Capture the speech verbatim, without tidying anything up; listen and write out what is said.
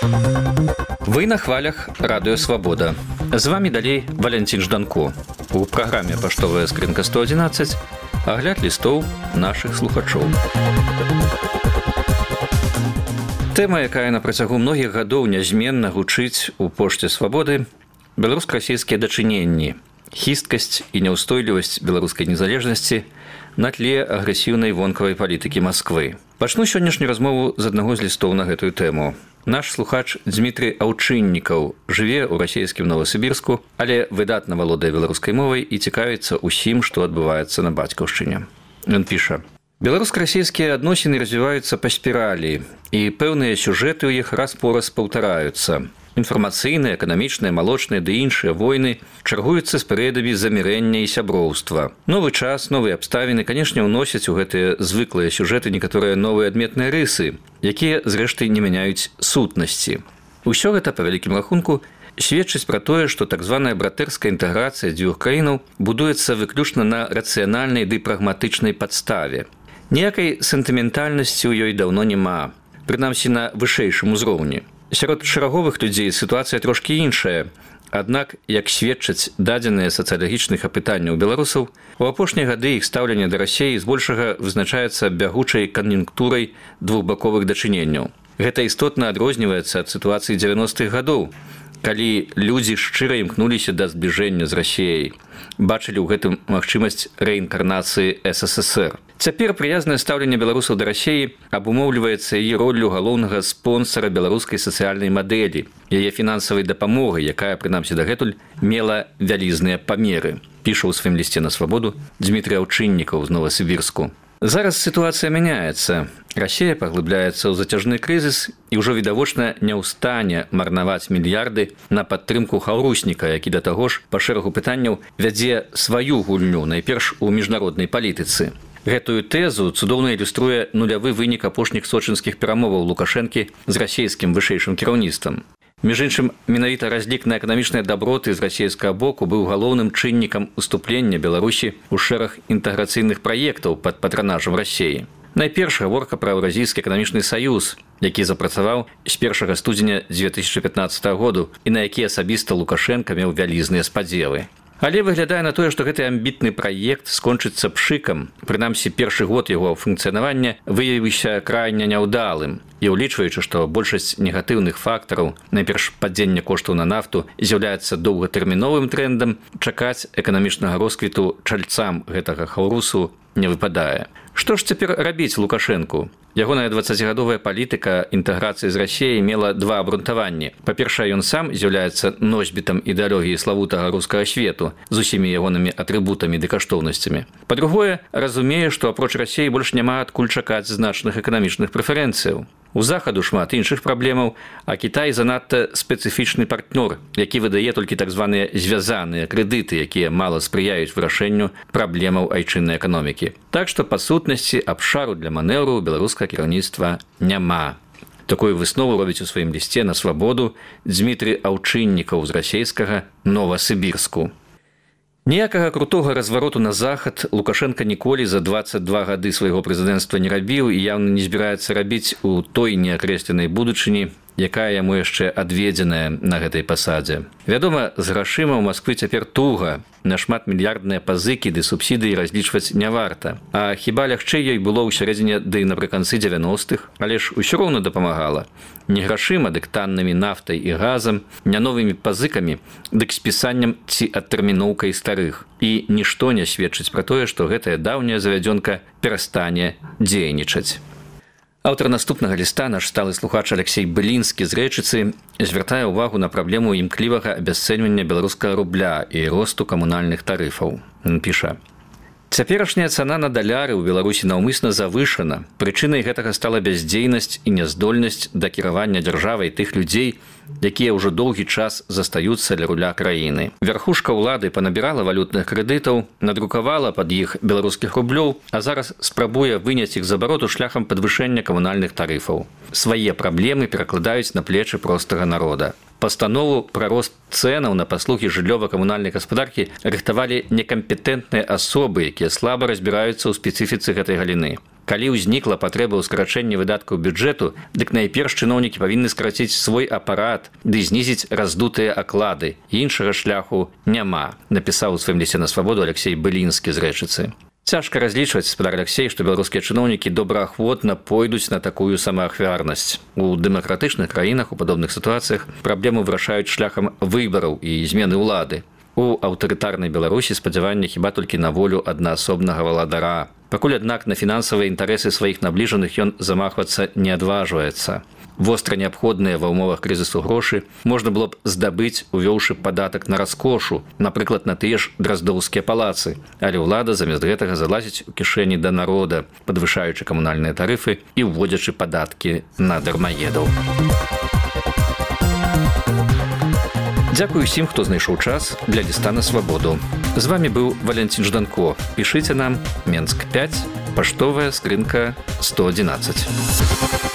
Вы на хвалях Радыё Свабода. З вами далей Валентин Жданко. У праграме «Паштовая скрынка сто одиннадцать» агляд лістоў нашых слухачоў. Тэма, якая на працягу многіх гадоў нязменна гучыць у пошце свабоды – беларуска-расійскія дачыненні, хісткасць і няўстойлівасць беларускай незалежнасці на тле агрэсіўнай вонкавай палітыкі Масквы. Пачну сённяшнюю размову з аднаго з лістоў на гэтую тэму. Наш слухач Дмітрый Аўчыннікаў жыве ў расійскім Новасібірску, але выдатна валодае беларускай мовай і цікавіцца ўсім, што адбываецца на бацькаўшчыне. Ён піша: «Беларуска-расійскія адносіны развіваюцца па спіралі, і пэўныя сюжэты ў іх раз-пораз паўтараюцца. Інфармацыйныя, эканамічныя, малочныя ды іншыя войны чаргуюцца з перыядамі замірэння і сяброўства. Новы час, новыя абставіны, канешне, уносяць у гэтыя звыклыя сюжэты некаторыя новыя адметныя рысы, якія, зрэшты, не мяняюць сутнасці. Усё гэта, па вялікім рахунку, сведчыць пра тое, што так званая братэрская інтэграцыя дзвюх краінаў будуецца выключна на рацыянальнай ды прагматычнай падставе. Ніякай сентыментальнасці ў ёй даўно няма, прынамсі на вышэйшым узроўні. Сярод шараговых людзей сітуацыя трошкі іншая. Аднак, як сведчаць дадзеныя сацыялагічных апытанняў беларусаў, у апошнія гады іх стаўленне да Расіі збольшага вызначаецца бягучай кан'юнктурай двухбаковых дачыненняў. Гэта істотна адрозніваецца ад сітуацыі дзевяностых гадоў, калі людзі шчыра імкнуліся да збліжэння з Расіяй, бачылі ў гэтым магчымасць рэінкарнацыі эс эс эс эр. Цяпер прыязнае стаўленне беларусаў да Расіі абумоўліваецца яе роллю галоўнага спонсара беларускай сацыяльнай мадэлі, яе фінансавай дапамогай, якая, прынамсі дагэтуль, мела вялізныя памеры, піша ў сваім лісце на свабоду Дмітрый Аўчыннікаў з Новасібірску. Зараз сітуацыя мяняецца. Расія паглыбляецца ў зацяжны крызіс і ўжо відавочна не ў стане марнаваць мільярды на падтрымку хаўрусніка, які да таго ж па шэрагу пытанняў вядзе сваю гульню, найперш у міжнароднай палітыцы. Гэтую тэзу цудоўна ілюструе нулявы вынік апошніх сочынскіх перамоваў Лукашэнкі з расійскім вышэйшым кіраўніцтвам. Між іншым, менавіта разлік на эканамічныя даброты з расійскага боку быў галоўным чыннікам уступлення Беларусі ў шэраг інтэграцыйных праектаў пад патранажам Расіі. Найперш гаворка пра Еўразійскі эканамічны саюз, які запрацаваў з першага студзеня дзве тысячы пятнаццатага году і на які асабіста Лукашэнка меў вялізныя спадзевы. Але выглядае на тое, што гэты амбітны праект скончыцца пшыкам. Прынамсі, першы год яго функцыянавання выявіўся крайне няўдалым. І ўлічваючы, што большасць негатыўных фактараў, найперш падзення коштаў на нафту, з'яўляецца доўгатэрміновым трэндам, чакаць эканамічнага росквіту чальцам гэтага хаўрусу не выпадае. Што ж цяпер рабіць Лукашэнку? Ягоная дваццацігадовая палітыка інтэграцыі з Расіяй мела два абрунтаванні. Па-першае, ён сам з'яўляецца носьбітам ідэалогіі славутага рускага свету з усімі ягонымі атрыбутамі ды каштоўнасцямі. Па-другое, разумее, што апроч Расіі больш няма адкуль чакаць значных эканамічных прэферэнцыяў. У захаду шмат іншых праблемаў, а Кітай занадта спецыфічны партнёр, які выдае толькі так званыя звязаныя крэдыты, якія мала спрыяюць вырашэнню праблемаў айчыннай эканомікі. Так што, па сутнасці, абшару для манеўру беларускага кіраўніцтва няма. Такую выснову робіць у сваім лісце на свабоду Дмітрый Аўчыннікаў з расійскага Новасібірску. Ніякага крутога развароту на захад Лукашэнка ніколі за дваццаць два гады свайго прэзідэнцтва не рабіў і яўна не збіраецца рабіць у той неакрэсленай будучыні, якая яму яшчэ адведзеная на гэтай пасадзе. Вядома, з грашыма ў Масквы цяпер туга, на шматмільярдныя пазыкі ды субсідыі разлічваць не варта. А хіба лягчэй ёй было ў сярэдзіне ды напрыканцы дзевяностых, але ж усё роўна дапамагала. Не грашыма, дык таннымі нафтай і газам, не новымі пазыкамі, дык спісаннем ці адтэрміноўкай старых. І нішто не сведчыць пра тое, што гэтая даўняя завядзёнка перастане дзейнічаць. Аўтар наступнага ліста, наш сталы слухач Алексей Былінскі з Рэчыцы, звяртае ўвагу на праблему імклівага абясцэньвання беларускага рубля і росту камунальных тарыфаў. Ён піша: «Цяперашняя цана на даляры ў Беларусі наўмысна завышана. Прычынай гэтага стала бяздзейнасць і няздольнасць да кіравання дзяржавай тых людзей, якія ўжо доўгі час застаюцца ля руля краіны. Вярхушка ўлады панабірала валютных крэдытаў, надрукавала пад іх беларускіх рублёў, а зараз спрабуе выняць іх з абароту шляхам падвышэння камунальных тарыфаў. Свае праблемы перакладаюць на плечы простага народа. Пастанову пра рост цэнаў на паслугі жыллёва-камунальнай гаспадаркі рыхтавалі некампетэнтныя асобы, якія слаба разбіраюцца ў спецыфіцы гэтай галіны. Калі ўзнікла патрэба ў скарачэнні выдаткаў бюджэту, дык найперш чыноўнікі павінны скараціць свой апарат ды знізіць раздутыя аклады. Іншага шляху няма, напісаў у сваім лісце на свабоду Алексей Былінскі з Рэчыцы. Цяжка разлічваць, спадар Алексей, што беларускія чыноўнікі добраахвотна пойдуць на такую самаахвярнасць. У дэмакратычных краінах у падобных сітуацыях праблему вырашаюць шляхам выбараў і змены ўлады. У аўтарытарнай Беларусі спадзяванне хіба толькі на волю аднаасобнага валадара. Пакуль, аднак, на фінансавыя інтарэсы сваіх набліжаных ён замахвацца не адважваецца. Востра неабходныя ва ўмовах крызісу грошы можна было б здабыць, увёўшы падатак на раскошу, напрыклад, на тыя ж драздоўскія палацы. Але ўлада замест гэтага залазіць у кішэні да народа, падвышаючы камунальныя тарыфы і ўводзячы падаткі на дармаедаў. Дзякую усім, хто знайшоў час для ліста на свабоду. З вами быў Валянцін Жданко. Пішыце нам Менск пяць, паштовая скрынка сто адзінаццаць.